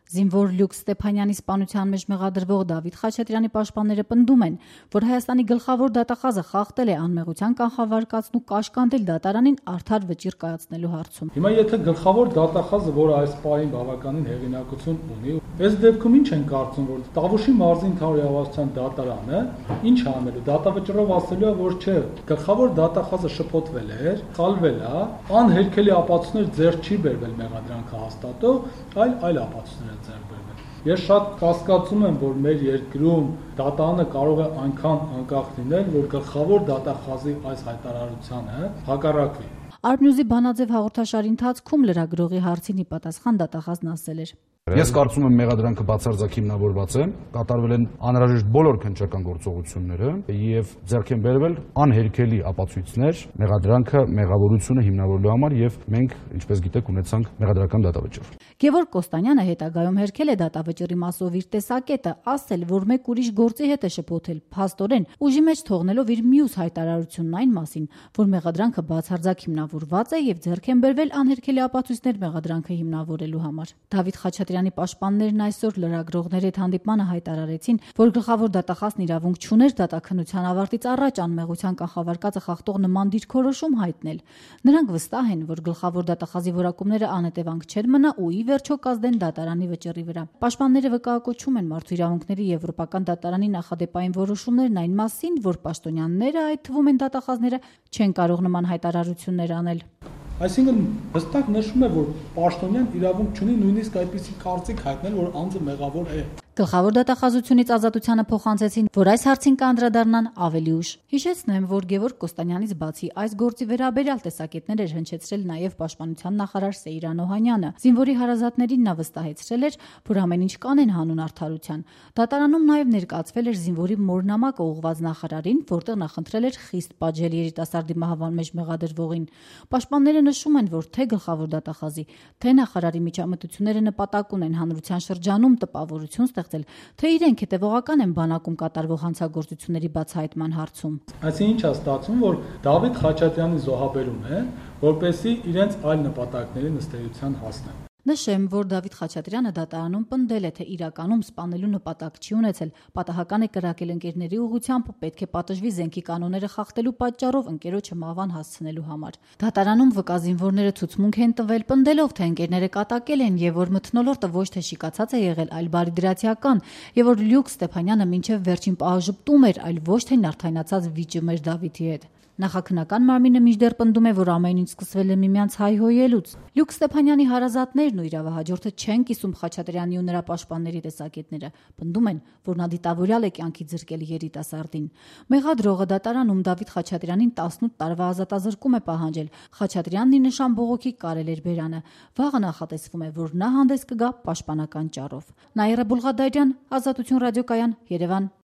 Զինվոր Լյուկ Ստեփանյանի սպանության մեջ մեղադրվող Դավիթ Խաչատրյանի պաշտպանները պնդում են, որ Հայաստանի գլխավոր դատախազը խախտել է անմեղության կանխավարկածն ու կաշկանդել դատարանին արդար վճիռ կայացնելու հարցում։ Հիմա եթե գլխավոր դատախազը, որը այս պահին բավականին հեղինակություն ունի, այս դեպքում ինչ են կարծում, որ Տավուշի մարզի ընդհանուր իրավասության դատարանը ինչ անելու, դատավճռով ասելու է, որ չէ, գլխավոր դատախազը շփոթվել էր, խալվել է, անհերքելի ապացույցներ ձեռք չի բերվել մեղադրանքը հաստատող, այլ ապացույցներ են ձեռք բերվել։ Ես շատ կասկածում եմ, որ մեր երկրում դատարանը կարող է այնքան անկախ լինել, որ գլխավոր դատախազի այս հայտարարությանը հակառակվի։ Արբնյուզի բանաձև հաղորդաշարի ընթացքում լրագրողի հարցին ի պատասխան դատախազն ասել էր. Ես կարծում եմ մեղադրանքը բացարձակ հիմնավորված է, կատարվել են անհրաժեշտ բոլոր քննչական գործողությունները եւ ձեռք են բերվել անհերքելի ապացույցներ մեղադրանքը մեղավորությունը հիմնավորելու համար եւ մենք, ինչպես գիտեք, ունեցանք մեղադրական դատավճիռ։ Գևորգ Կոստանյանը հետագայում հերքել է դատավճիռի մասով իր տեսակետը, ասել, որ մեկ ուրիշ գործի հետ է շփոթել, փաստորեն ուժի մեջ թողնելով իր մյուս հայտարարությունն այն մասին, որ մեղադրանքը բացարձակ հիմնավորված է եւ ձեռք են բերվել անհերքելի ապացույցներ մեղադրանքը հիմնավորելու համար։ Դավիթ Խաչատրյանի պաշտպաններն այսօր լրագրողների հետ հանդիպմանը հայտարարեցին, որ գլխավոր դատախազն իրավունք չուներ դատաքննության ավարտից առաջ անմեղության կանխավարկածը խախտող նման դիրքորոշում հայտնել։ Նրանք վստահ են, որ գլխավոր դատախազի որակումները անհետևանք չեն մնա ու ի վերջո կազդեն դատարանի վճռի վրա։ Պաշտպանները վկայակոչում են Մարդու իրավունքների Եվրոպական դատարանի նախադեպային որոշումներն այն մասին, որ պաշտոնյաները, այդ թվում են դատախազները, չեն կարող նման հայտարարություններ անել։ Այսինքն հստակ նշվում է, որ պաշտոնյան իրավունք չունի նույնիսկ այդպիսի կարծիք հայտնել, որ անձը մեղավոր է։ Գլխավոր դատախազությունից ազատությանը փոխանցեցին, որ այս հարցին կանդրադառնան ավելի ուշ։ Հիշեցնեմ, որ Գևորգ Կոստանյանից բացի այս գործի վերաբերյալ տեսակետներ էր հնչեցրել նաև պաշտպանության նախարար Սեյրան Օհանյանը։ Զինվորի հարազատներին նա վստահեցրել էր, որ ամեն ինչ կանեն հանուն արդարության։ Դատարանում նաև ներկայացվել էր զինվորի մորնամակը ուղղված նախարարին, որտեղ նա խնդրել էր խիստ պատժել երիտասարդի մահվան մեջ մեղադրվողին։ Պաշտպանները նշում են, որ թե գլխավոր դատախազի, թե նախարարի միջամտությունները նպատակ ունեն հանրության շրջանում տպավորություն ստեղծել, թե իրենք հետևողական են բանակում կատարվող հանցագործությունների բացահայտման հարցում։ Այսինքն ինչ է ստացվում, որ Դավիթ Խաչատրյանի զոհաբերում է, որպեսզի իրենց այլ նպատակների նստեյության հասնեն։ Նշեմ, որ Դավիթ Խաչատրյանը դատարանում պնդել է, թե իրականում սպանելու նպատակ չի ունեցել, պատահական է կրակել ընկերների ուղղությամբ, պետք է պատժվի զենքի կանոնները խախտելու պատճառով ընկերոջը մահվան հասցնելու համար։ Դատարանում վկա զինվորները ցուցմունք են տվել, պնդելով, թե ընկերները կատակել են եւ որ մթնոլորտը ոչ թե շիկացած է եղել, այլ բարիդրացիական, եւ որ Լյուկ Ստեփանյանը մինչեւ վերջին պահը ժպտում էր, այլ ոչ թե նարդայնացած վիճում էր Դավիթի հետ։ Նախաքննական մարմինը մինչդեռ պնդում է, որ ամեն ինչ սկսվել է միմյանց հայհոյելուց։ Լյուկ Ստեփանյանի հարազատներն ու իրավահաջորդը չեն կիսում Խաչատրյանի ու նրա պաշտպանների տեսակետները, պնդում են, որ նա դիտավորյալ է կյանքի զրկել երիտասարդին։ Մեղադրողը դատարանում Դավիթ Խաչատրյանին 18 տարվա ազատազրկում է պահանջել։ Խաչատրյանն ի նշան բողոքի կարել էր բերանը։ Վաղը նախատեսվում է, որ նա հանդես կգա պաշտպանական ճառով։ Նաիրա Բուլղադարյան, Ազատություն ռադիոկայան, Երևան։